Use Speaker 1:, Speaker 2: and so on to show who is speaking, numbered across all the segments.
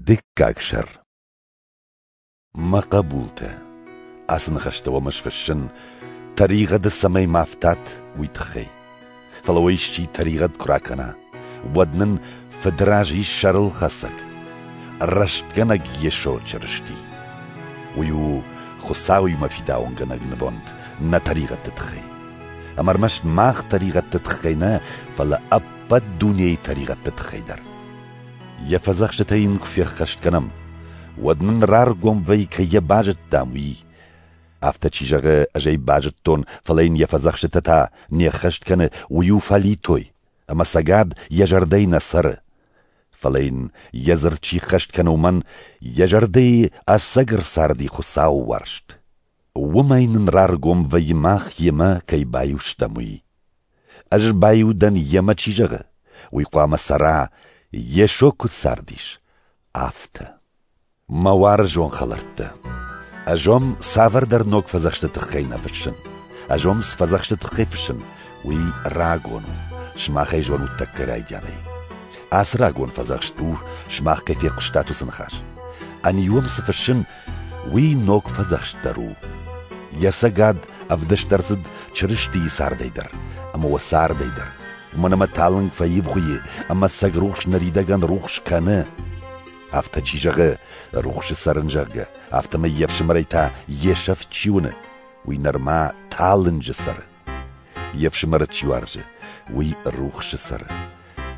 Speaker 1: Дыккаг сӕр. Мӕ хъӕбултӕ, ацы ныхӕстӕ уӕм ӕз фыссын, тӕригъӕды цӕмӕй ма фтат, уый тыххӕй. Фӕлӕ уӕ исчи тӕригъӕд куы ракӕна, уӕд нын Фыды раз ис сӕрылхӕцӕг, рӕстгӕнӕг Йесо Чырысти. Уый у Хуыцауимӕ фидауынгӕнӕг нывонд нӕ тӕригъӕдты тыххӕй. Ӕмӕ ӕрмӕст мах тӕригъӕдты тыххӕй нӕ, фӕлӕ ӕппӕт дунейы тӕригъӕдты тыххӕй дӕр. Йӕ фӕдзӕхстытӕ йын куы феххӕст кӕнӕм, уӕд нын раргом вӕййы, кӕй йӕ базыдтам, уый. Афтӕ чи зӕгъы, ӕз ӕй базыдтон, фӕлӕ йын йӕ фӕдзӕхстытӕ та не ххӕст кӕны, уый у фӕлитой, ӕмӕ ӕцӕгад йӕ зӕрдӕйы нӕ цӕры. Фӕлӕ йын йӕ дзырд чи ххӕст кӕны, уымӕн йӕ зӕрдӕйы ӕцӕг ӕрцарди Хуыцауы уарзт. Уымӕй нын раргом вӕййы мах йемӕ кӕй баиу стӕм, уый. Ӕз баиу дӕн йемӕ чи зӕгъы, уый хъуамӕ цӕра, Йесо куыд цардис, афтӕ. Мӕ уарзон хӕлӕрттӕ, ӕз уӕм цавӕрдӕр ног фӕдзӕхсты тыххӕй нӕ фыссын. Ӕз уӕм цы фӕдзӕхсты тыххӕй фыссын, уый рагон у, сымах ӕй зонут тӕккӕ райдианӕй. Ацы рагон фӕдзӕхст у, сымах кӕй фехъуыстат, уыцы ныхас. Ӕниу уӕм цы фыссын, уый ног фӕдзӕхст дӕр у. Йӕ цӕгад ӕвдыст ӕрцыд Чырыстийы цардӕй дӕр ӕмӕ уӕ цардӕй дӕр, уымӕн ӕмӕ талынг фӕивгъуыйы ӕмӕ цӕг рухс ныридӕгӕн рухс кӕны. Афтӕ чи зӕгъы, рухсы цӕрын, зӕгъгӕ, афтӕмӕй йе фсымӕрӕй та йе сӕфт чи уыны, уый нырма талынджы цӕры. Йе фсымӕры чи уарзы, уый рухсы цӕры.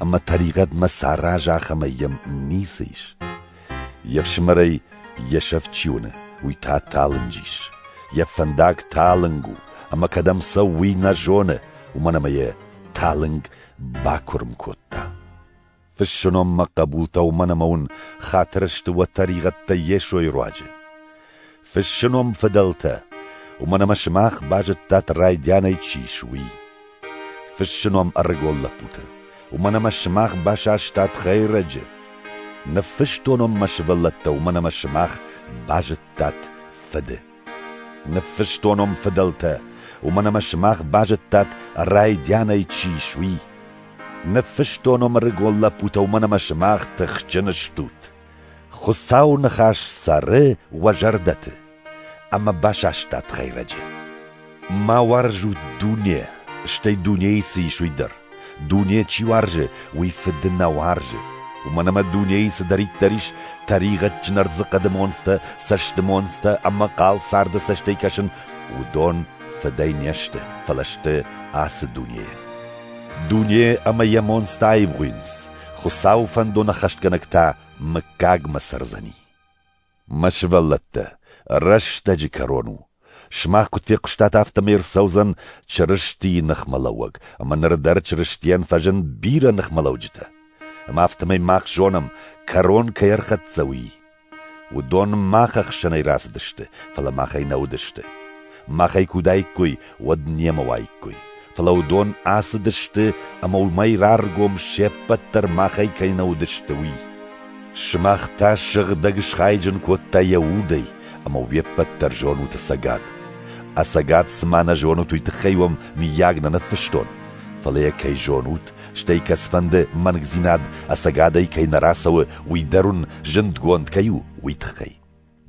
Speaker 1: Ӕмӕ тӕригъӕдмӕ сараза, ахӕмӕй йӕм ницы ис. Йе фсымӕрӕй йе сӕфт чи уыны, уый та талынджы ис. Йӕ фӕндаг талынг у, ӕмӕ кӕдӕм цӕуы, уый нӕ зоны, уымӕн ӕмӕ йӕ талынг бакуырм кодта. Фыссын уӕм мӕ хъӕбултӕ, уымӕн ӕмӕ уын хатыр сты уӕ тӕригъӕдтӕ Йесойы руаджы. Фыссын уӕм, фыдӕлтӕ, уымӕн ӕмӕ сымах базыдтат райдианӕй чи ис, уый. Фыссын уӕм ӕрыгон лӕппутӕ, уымӕн ӕмӕ сымах басастат хӕйрӕджы. Ныффыстон уӕм мӕ сывӕллӕттӕ, уымӕн ӕмӕ сымах базыдтат Фыды. Ныффыстон уӕм фыдӕлтӕ, уымӕн ӕмӕ сымах базыдтат райдианӕй чи ис, уый. Ныффыстон уӕм ӕрыгон лӕппутӕ, уымӕн ӕмӕ сымах тыхджын стут. Хуыцауы ныхас цӕры уӕ зӕрдӕты, ӕмӕ басастат хӕйрӕджы. Ма уарзут дуне, стӕй дунейы цы ис, уый дӕр. Дуне чи уарзы, уый фыды нӕ уарзы. Уымӕн ӕмӕ дунейы цыдӕриддӕр ис, тӕригъӕдджын ӕрдзыхъӕды монцтӕ, цӕсты монцтӕ ӕмӕ хъал царды цӕстӕй кӕсын, уыдон фыдӕй не сты, фӕлӕ сты ацы дунейы. Дуне ӕмӕ йӕ монцтӕ аивгъуыйынц, Хуыцауы фӕндон ӕххӕстгӕнӕг та мыггагмӕ цӕрдзӕни. Мӕ сывӕллӕттӕ, рӕстӕджы кӕрон у. Сымах куыд фехъуыстат, афтӕмӕй ӕрцӕудзӕн Чырыстийы ныхмӕлӕууӕг, ӕмӕ ныр дӕр Чырыстийӕн фӕзынд бирӕ ныхмӕлӕуджытӕ. Ӕмӕ афтӕмӕй мах зонӕм, кӕрон кӕй ӕрхӕццӕ, уый. Уыдон мах ӕхсӕнӕй рацыдысты, фӕлӕ махӕй нӕ уыдысты. Махӕй куы уыдаиккой, уӕд немӕ уаиккой. Фӕлӕ уыдон ацыдысты ӕмӕ уымӕй раргом се ппӕт дӕр махӕй кӕй нӕ уыдысты, уый. Сымах та сыгъдӕг схайджын кодта йӕ удӕй, ӕмӕ уе ппӕт дӕр зонут ӕцӕгад. Ӕцӕгад цыма нӕ зонут, уый тыххӕй уӕм мыййаг нӕ ныффыстон, фӕлӕ йӕ кӕй зонут, стӕй кӕцыфӕнды мӕнгдзинад ӕцӕгадӕй кӕй нӕ рацӕуы, уый дӕр уын зындгонд кӕй у, уый тыххӕй.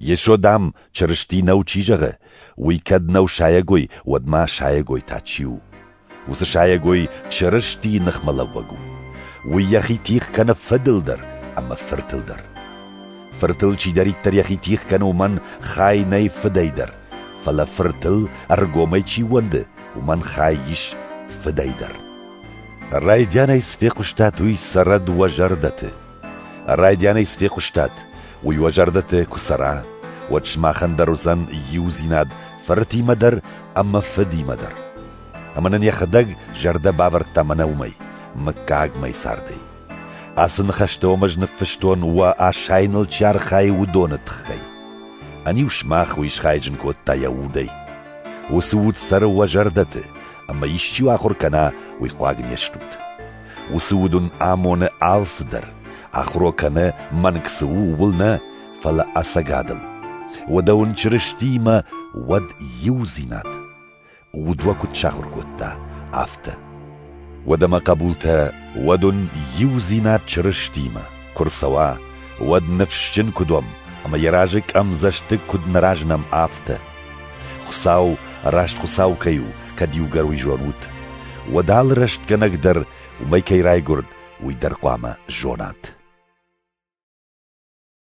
Speaker 1: Йесо, дам, Чырысти нӕу чи зӕгъы, уый кӕд нӕу сайӕгой, уӕд ма сайӕгой та чи у? Уыцы сайӕгой Чырыстийы ныхмӕлӕууӕг у. Уый йӕхи тигъ кӕны фыдыл дӕр ӕмӕ фыртыл дӕр. Фыртыл чидӕриддӕр йӕхи тигъ кӕны, уымӕн хай нӕй фыдӕй дӕр, фӕлӕ фыртыл ӕргомӕй чи ууӕнды, уымӕн хай ис фыдӕй дӕр. Райдианӕй цы фехъуыстат, уый цӕрӕд уӕ зӕрдӕты. Райдианӕй цы фехъуыстат, уый уӕ зӕрдӕты куы цӕра, уӕд сымахӕн дӕр уыдзӕн иудзинад фыртимӕ дӕр ӕмӕ фыдимӕ дӕр. Ӕмӕ нын йӕхӕдӕг зӕрдӕ бавӕрдта мӕнӕ уымӕй, мыггагмӕ цардӕй. Ацы ныхӕстӕ уӕм ӕз ныффыстон, уӕ асайыныл чи архайы, уыдоны тыххӕй. Ӕниу сымах уый схайджын кодта йӕ удӕй. Уыцы уд цӕры уӕ зӕрдӕты, ӕмӕ исчи ахуыр кӕна, уый хъуаг не стут. Уыцы уд уын амоны алцыдӕр, ахуыр уӕ кӕны, мӕнг цы у, ууыл нӕ, фӕлӕ ӕцӕгадыл. Уӕдӕ уын Чырыстиимӕ уӕд иудзинад. Уд уӕ куыд сахуыр кодта, афтӕ. Уӕдӕ мӕ хъӕбултӕ, уӕд уын иудзинад Чырыстиимӕ куы рцӕуа, уӕд ныфсджын куыд уӕм ӕмӕ йӕ разы къӕмдзӕстыг куыд нӕ разынӕм, афтӕ. Хуыцау раст Хуыцау кӕй у, кӕд иугӕр уый зонут, уӕд алы рӕстгӕнӕг дӕр уымӕй кӕй райгуырд, уый дӕр хъуамӕ зонат.